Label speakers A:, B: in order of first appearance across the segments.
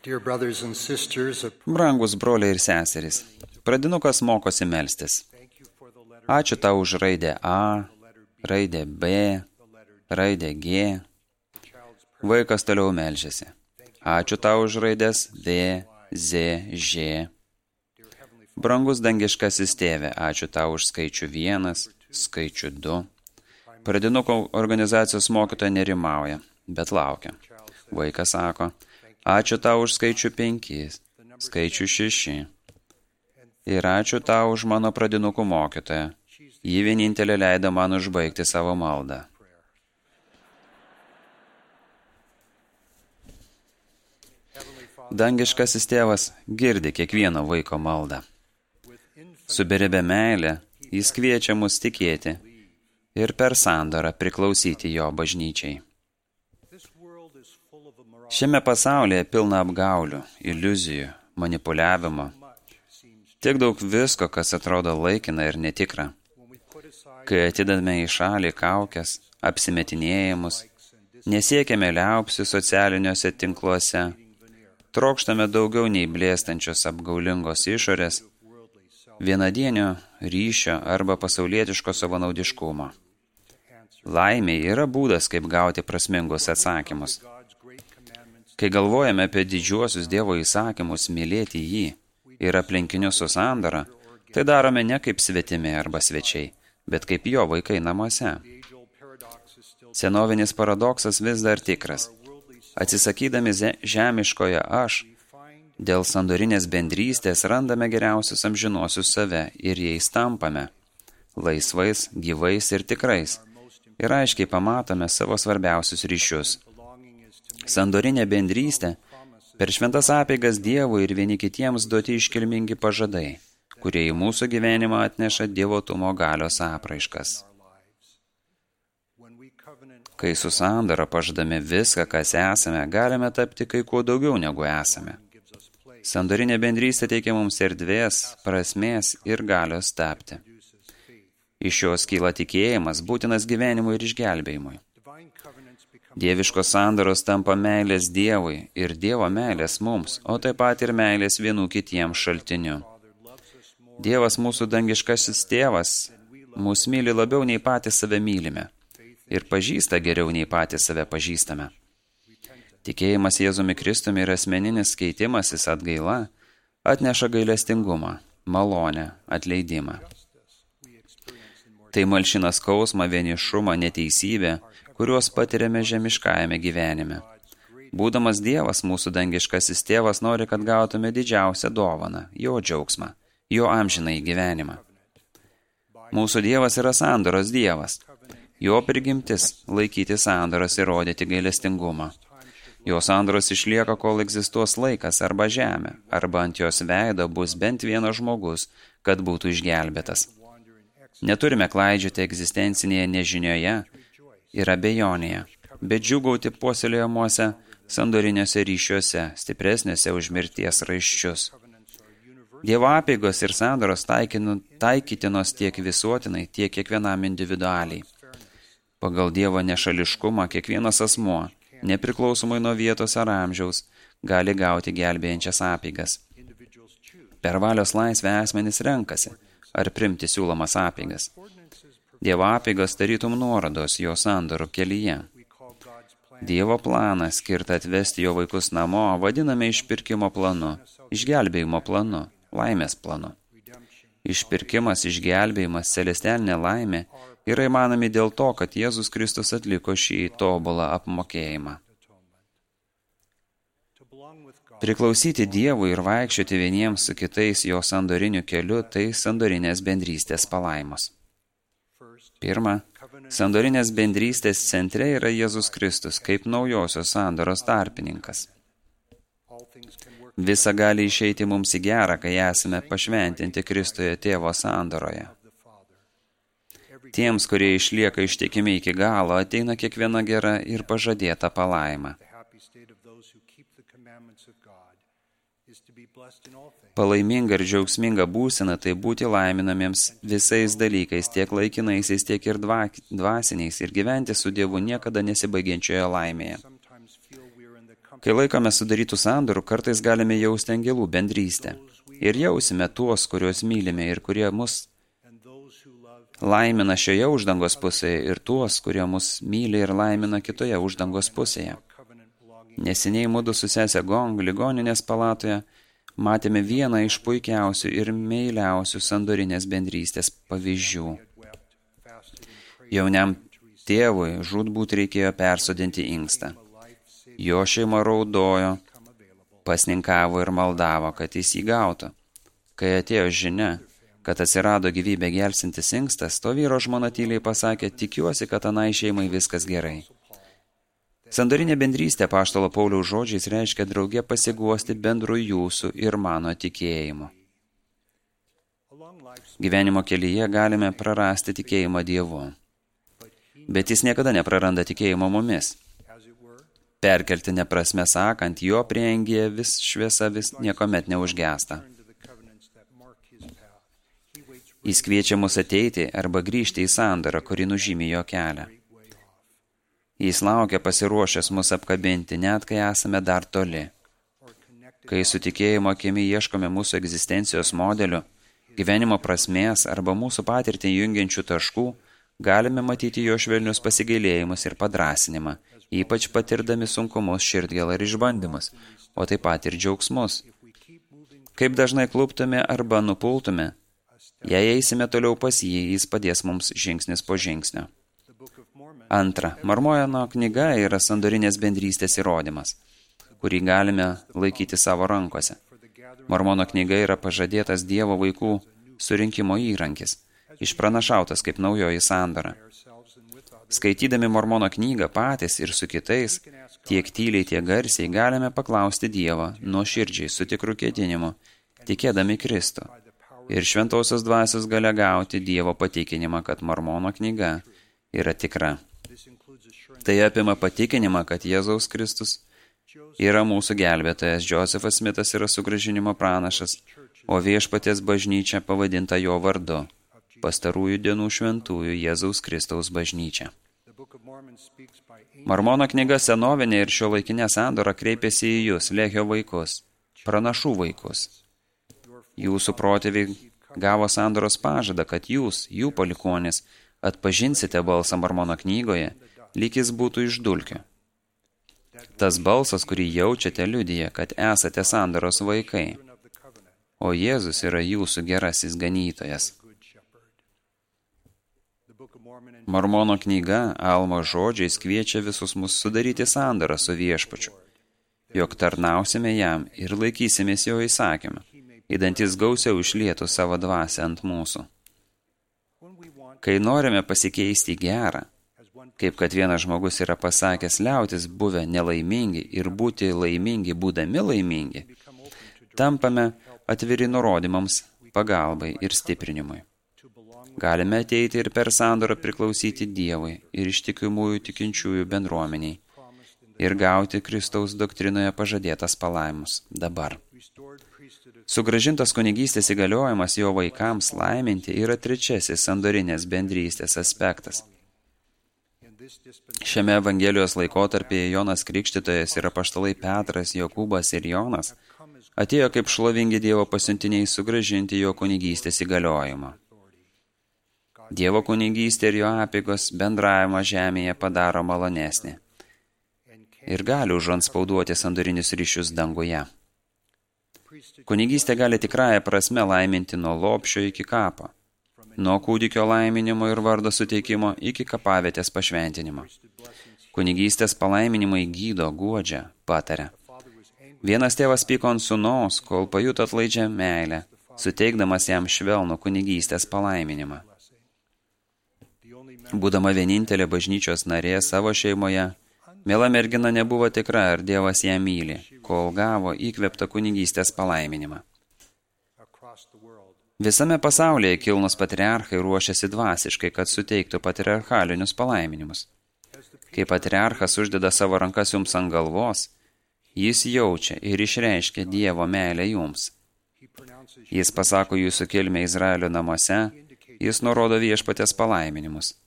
A: Dear brothers and sisters,
B: Brangus broliai ir seserys, pradinukas mokosi melstis. Ačiū tau už raidę A, raidę B, raidę G. Vaikas toliau melžiasi. Ačiū tau už raidės D, Z, Ž. Brangus dangiškasis tėve, ačiū tau už skaičių 1, skaičių 2. Pradinukų organizacijos mokytoja nerimauja, bet laukia. Vaikas sako, ačiū tau už skaičių 5, skaičių 6. Ir ačiū tau už mano pradinukų mokytoją. Ji vienintelė leido man užbaigti savo maldą. Dangiškasis tėvas girdi kiekvieno vaiko maldą. Su beribė meilė jis kviečia mus tikėti ir per sandorą priklausyti jo bažnyčiai. Šiame pasaulyje pilna apgaulių, iliuzijų, manipuliavimo. Tiek daug visko, kas atrodo laikina ir netikra. Kai atidame į šalį kaukes, apsimetinėjimus, nesiekiame liaupsių socialiniuose tinkluose, trokštame daugiau nei blėstančios apgaulingos išorės, vienadienio ryšio arba pasaulietiško savanaudiškumo. Laimė yra būdas, kaip gauti prasmingus atsakymus. Kai galvojame apie didžiuosius Dievo įsakymus mylėti jį ir aplinkinius su sandora, tai darome ne kaip svetimi arba svečiai, bet kaip jo vaikai namuose. Senovinis paradoksas vis dar tikras. Atsisakydami žemiškoje aš, dėl sandorinės bendrystės randame geriausius amžinuosius save ir jais tampame, laisvais, gyvais ir tikrais, ir aiškiai pamatome savo svarbiausius ryšius. Sandorinė bendrystė per šventas apeigas Dievui ir vieni kitiems duoti iškilmingi pažadai, kurie į mūsų gyvenimą atneša dievotumo galios apraiškas. Kai su sandora pažadame viską, kas esame, galime tapti kai kuo daugiau negu esame. Sandorinė bendrystė teikia mums erdvės, prasmės ir galios tapti. Iš jos kyla tikėjimas, būtinas gyvenimui ir išgelbėjimui. Dieviškos sandoros tampa meilės Dievui ir Dievo meilės mums, o taip pat ir meilės vienų kitiems šaltiniu. Dievas mūsų dangiškasis tėvas mus myli labiau nei patys save mylime ir pažįsta geriau nei patys save pažįstame. Tikėjimas Jėzumi Kristumi ir asmeninis keitimasis atgaila atneša gailestingumą, malonę, atleidimą. Tai malšina skausmą, vienišumą, neteisybę, kuriuos patiriame žemiškajame gyvenime. Būdamas Dievas, mūsų dangiškasis tėvas nori, kad gautume didžiausią dovaną, jo džiaugsmą, jo amžinąjį gyvenimą. Mūsų Dievas yra sandoros Dievas. Jo prigimtis laikyti sandoras ir rodyti gailestingumą. Jo sandoros išlieka, kol egzistuos laikas arba žemė, arba ant jos veido bus bent vienas žmogus, kad būtų išgelbėtas. Neturime klaidžioti egzistencinėje nežinioje ir abejonėje, bet džiūgauti puoselėjamuose sandoriniuose ryšiuose, stipresniuose už mirties raiščius. Dievo apeigos ir sandoros taikytinos tiek visuotinai, tiek kiekvienam individualiai. Pagal Dievo nešališkumą kiekvienas asmuo, nepriklausomai nuo vietos ar amžiaus, gali gauti gelbėjančias apeigas. Per valios laisvę asmenys renkasi, ar primti siūlomas apeigas. Dievo apeigos tarytum nuorodos jo sandorų kelyje. Dievo planą, skirtą atvesti jo vaikus namo, vadiname išpirkimo planu, išgelbėjimo planu, laimės planu. Išpirkimas, išgelbėjimas, celestialinė laimė yra įmanomi dėl to, kad Jėzus Kristus atliko šį tobulą apmokėjimą. Priklausyti Dievui ir vaikščioti vieniems su kitais jo sandoriniu keliu, tai sandorinės bendrystės palaimos. Pirma, sandorinės bendrystės centre yra Jėzus Kristus kaip naujosios sandoros tarpininkas. Visa gali išeiti mums į gerą, kai esame pašventinti Kristuje Tėvo sandoroje. Tiems, kurie išlieka ištikimi iki galo, ateina kiekviena gera ir pažadėta palaima. Palaiminga ir džiaugsminga būsena tai būti laiminamiems visais dalykais, tiek laikinaisiais, tiek ir dvasiniais, ir gyventi su Dievu niekada nesibaigiančioje laimėje. Kai laikome sudarytų sandorų, kartais galime jausti angelų bendrystę. Ir jausime tuos, kuriuos mylime ir kurie mus laimina šioje uždangos pusėje ir tuos, kurie mus myli ir laimina kitoje uždangos pusėje. Neseniai mudu su sese Gong ligoninės palatoje matėme vieną iš puikiausių ir meiliausių sandorinės bendrystės pavyzdžių. Jauniam tėvui žūtbūt reikėjo persodinti inkstą. Jo šeima raudojo, pasninkavo ir maldavo, kad jis jį gautų. Kai atėjo žinia, kad atsirado gyvybę gelsintis inkstas, to vyro žmona tyliai pasakė, tikiuosi, kad anai šeimai viskas gerai. Sandorinė bendrystė apaštalo Pauliaus žodžiais reiškia drauge pasiguosti bendru jūsų ir mano tikėjimu. Gyvenimo kelyje galime prarasti tikėjimą Dievu, bet jis niekada nepraranda tikėjimo mumis. Perkeltine prasme sakant, jo prieangyje vis šviesa vis niekuomet neužgęsta. Jis kviečia mus ateiti arba grįžti į sandorą, kuri nužymi jo kelią. Jis laukia pasiruošęs mus apkabinti, net kai esame dar toli. Kai su tikėjimo akimi ieškome mūsų egzistencijos modelių, gyvenimo prasmės arba mūsų patirtį jungiančių taškų, galime matyti jo švelnius pasigailėjimus ir padrąsinimą, ypač patirdami sunkumus, širdgėlą ir išbandymus, o taip pat ir džiaugsmus. Kaip dažnai kluptume arba nupultume, jei eisime toliau pas jį, jis padės mums žingsnis po žingsnio. Antra, Mormono knyga yra sandorinės bendrystės įrodymas, kurį galime laikyti savo rankose. Mormono knyga yra pažadėtas Dievo vaikų surinkimo įrankis, išpranašautas kaip naujoji sandora. Skaitydami Mormono knygą patys ir su kitais, tiek tyliai, tiek garsiai, galime paklausti Dievą nuoširdžiai su tikru ketinimu, tikėdami Kristų. Ir šventosios dvasios galia gauti Dievo patikinimą, kad Mormono knyga yra tikra. Tai apima patikinimą, kad Jėzaus Kristus yra mūsų gelbėtojas, Josefas Smitas yra sugrąžinimo pranašas, o viešpaties bažnyčia pavadinta jo vardu, pastarųjų dienų šventųjų Jėzaus Kristaus bažnyčia. Mormono knyga senovinė ir šiuolaikinė sandora kreipiasi į jūs, Lehio vaikus, pranašų vaikus. Jūsų protėviai gavo sandoros pažadą, kad jūs, jų palikuonis, atpažinsite balsą Mormono knygoje, lyg jis būtų iš dulkių. Tas balsas, kurį jaučiate, liudija, kad esate sandoros vaikai, o Jėzus yra jūsų gerasis ganytojas. Mormono knyga Almo žodžiais kviečia visus mus sudaryti sandorą su viešpačiu, jog tarnausime jam ir laikysimės jo įsakymą, įdantis gausiau išlietų savo dvasią ant mūsų. Kai norime pasikeisti gerą, kaip kad vienas žmogus yra pasakęs, liautis buvę nelaimingi ir būti laimingi būdami laimingi, tampame atviri nurodymams, pagalbai ir stiprinimui. Galime ateiti ir per sandorą priklausyti Dievui ir ištikimųjų tikinčiųjų bendruomeniai ir gauti Kristaus doktrinoje pažadėtas palaimus dabar. Sugrąžintas kunigystės įgaliojimas jo vaikams laiminti yra trečiasis sandorinės bendrystės aspektas. Šiame Evangelijos laikotarpyje Jonas Krikštytojas ir apaštalai Petras, Jokūbas ir Jonas atėjo kaip šlovingi Dievo pasiuntiniai sugrąžinti jo kunigystės įgaliojimą. Dievo kunigystė ir jo apeigos bendravimą žemėje padaro malonesnį ir gali užantspauduoti sandorinius ryšius danguje. Kunigystė gali tikrąją prasme laiminti nuo lopšio iki kapo, nuo kūdikio laiminimo ir vardo suteikimo iki kapavietės pašventinimo. Kunigystės palaiminimai gydo, guodžia, pataria. Vienas tėvas pyko ant sūnaus, kol pajuto atlaidžią meilę, suteikdamas jam švelnų kunigystės palaiminimą. Būdama vienintelė bažnyčios narė savo šeimoje, miela mergina nebuvo tikra, ar Dievas ją myli, kol gavo įkvėptą kunigystės palaiminimą. Visame pasaulyje kilnus patriarchai ruošiasi dvasiškai, kad suteiktų patriarchalinius palaiminimus. Kai patriarchas uždeda savo rankas jums ant galvos, jis jaučia ir išreiškia Dievo meilę jums. Jis pasako jūsų kilmę Izraelio namuose, jis nurodo viešpaties palaiminimus.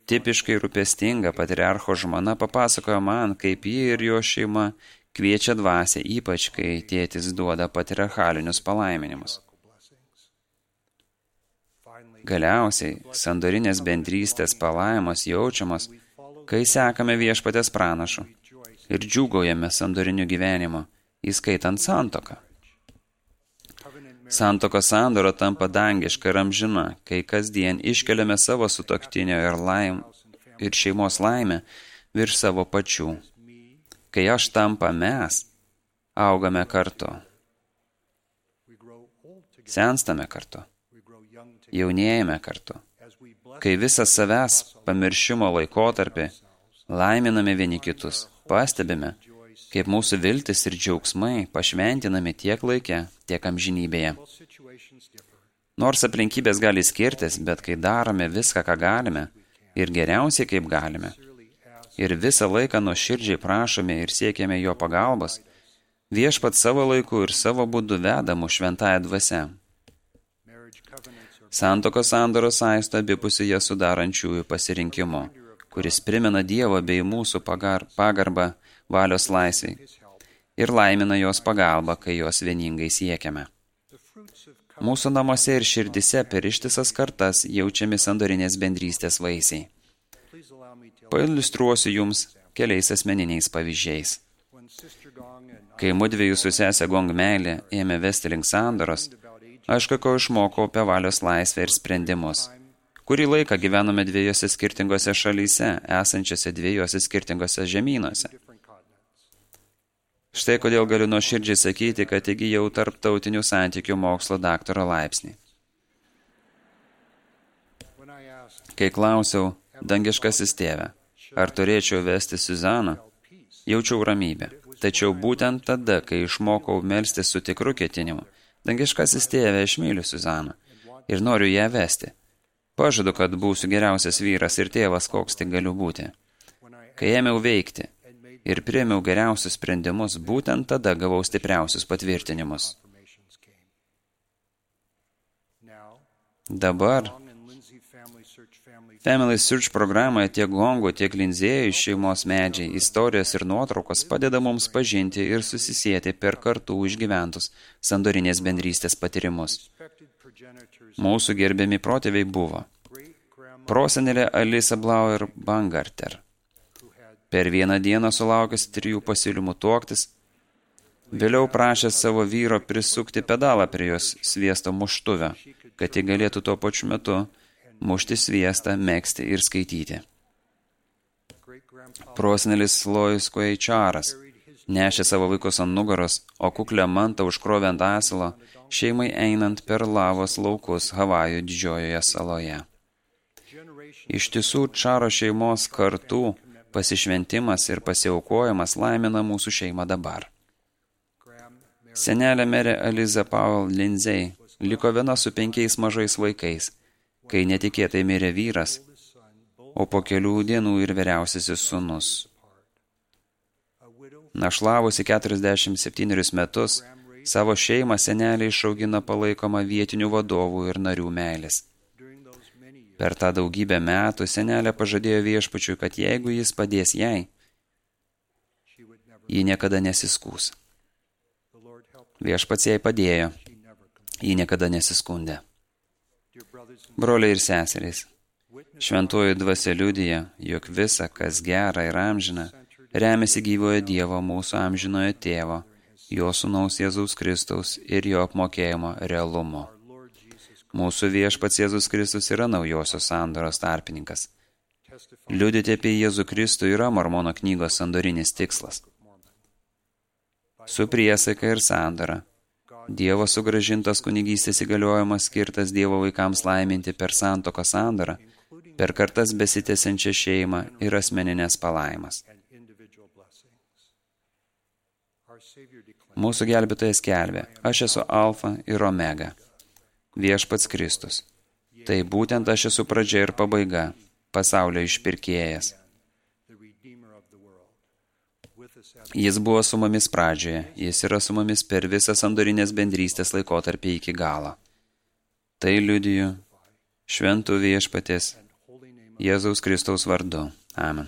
B: Tipiškai rūpestinga patriarcho žmona papasakojo man, kaip ji ir jo šeima kviečia dvasią, ypač kai tėtis duoda patriarchalinius palaiminimus. Galiausiai, sandorinės bendrystės palaimos jaučiamos, kai sekame viešpatės pranašu ir džiūgaujame sandoriniu gyvenimu, įskaitant santuoką. Santuokos sandora tampa dangiška ir amžina, kai kasdien iškeliame savo sutuoktinio ir šeimos laimę virš savo pačių. Kai aš tampa mes, augame kartu. Senstame kartu. Jaunėjame kartu. Kai visas savęs pamiršimo laikotarpį laiminame vieni kitus, pastebime, kaip mūsų viltis ir džiaugsmai pašventinami tiek laike, tiek amžinybėje. Nors aplinkybės gali skirtis, bet kai darome viską, ką galime, ir geriausiai, kaip galime, ir visą laiką nuoširdžiai prašome ir siekiame jo pagalbos, viešpat savo laiku ir savo būdu veda mus šventąja dvasia. Santuokos sandoros saisto abipusį ją sudarančiųjų pasirinkimu, kuris primena Dievo bei mūsų pagarbą valios laisvei ir laimina jos pagalbą, kai jos vieningai siekiame. Mūsų namuose ir širdise per ištisas kartas jaučiami sandorinės bendrystės vaisiai. Pailiustruosiu jums keliais asmeniniais pavyzdžiais. Kai mudviejų su sese Gong meilė ėmė vesti link sandoros, aš kako išmokau apie valios laisvę ir sprendimus. Kurį laiką gyvenome dviejose skirtingose šalyse, esančiose dviejose skirtingose žemynuose. Štai kodėl galiu nuoširdžiai sakyti, kad įgijau tarptautinių santykių mokslo daktaro laipsnį. Kai klausiau, dangiškasis tėve, ar turėčiau vesti Suzaną, jaučiau ramybę. Tačiau būtent tada, kai išmokau melstis su tikru ketinimu, dangiškasis tėve, aš myliu Suzaną ir noriu ją vesti. Pažadu, kad būsiu geriausias vyras ir tėvas, koks tik galiu būti. Kai ėmiau veikti ir priėmiau geriausius sprendimus, būtent tada gavau stipriausius patvirtinimus. Dabar Family Search programoje tiek Gongų, tiek Linzėjų šeimos medžiai, istorijos ir nuotraukos padeda mums pažinti ir susisieti per kartų išgyventus sandorinės bendrystės patyrimus. Mūsų gerbiami protėviai buvo prosenelė Alisa Blauer Bangarter. Per vieną dieną sulaukęs 3 pasiūlymų tuoktis, vėliau prašęs savo vyro prisukti pedalą prie jos sviesto muštuvę, kad ji galėtų tuo pačiu metu mušti sviestą, megzti ir skaityti. Prosenelis Lois Kueičaras nešė savo vaikus ant nugaros, o kuklę mantą užkrovė ant asilo, šeimai einant per lavos laukus Havajų didžiojoje saloje. Iš tiesų, Čaro šeimos kartų pasišventimas ir pasiaukojimas laimina mūsų šeimą dabar. Senelė merė Aliza Powell Lindsay liko viena su 5 mažais vaikais, kai netikėtai mirė vyras, o po kelių dienų ir vyriausiasis sūnus. Našlavusi 47 metus, savo šeimą senelė išaugina palaikoma vietinių vadovų ir narių meilės. Per tą daugybę metų senelė pažadėjo viešpačiui, kad jeigu jis padės jai, ji niekada nesiskūs. Viešpats jai padėjo, ji niekada nesiskundė. Broliai ir seserys, šventoji dvasia liudija, jog visa, kas gera ir amžina, remiasi gyvojo Dievo mūsų amžinojo tėvo, jo sūnaus Jėzaus Kristaus ir jo apmokėjimo realumu. Mūsų viešpats Jėzus Kristus yra naujosios sandoros tarpininkas. Liudyti apie Jėzų Kristų yra Mormono knygos sandorinis tikslas. Su priesaika ir sandora, Dievo sugrąžintas kunigystės įgaliojimas skirtas Dievo vaikams laiminti per santuokos sandorą, per kartas besitęsiančią šeimą ir asmeninės palaimas. Mūsų gelbėtojas skelbė, aš esu Alfa ir Omega, viešpats Kristus. Tai būtent aš esu pradžia ir pabaiga, pasaulio išpirkėjas. Jis buvo su mumis pradžioje, jis yra su mumis per visą sandorinės bendrystės laikotarpį iki galo. Tai liudiju šventų viešpatės Jėzaus Kristaus vardu. Amen.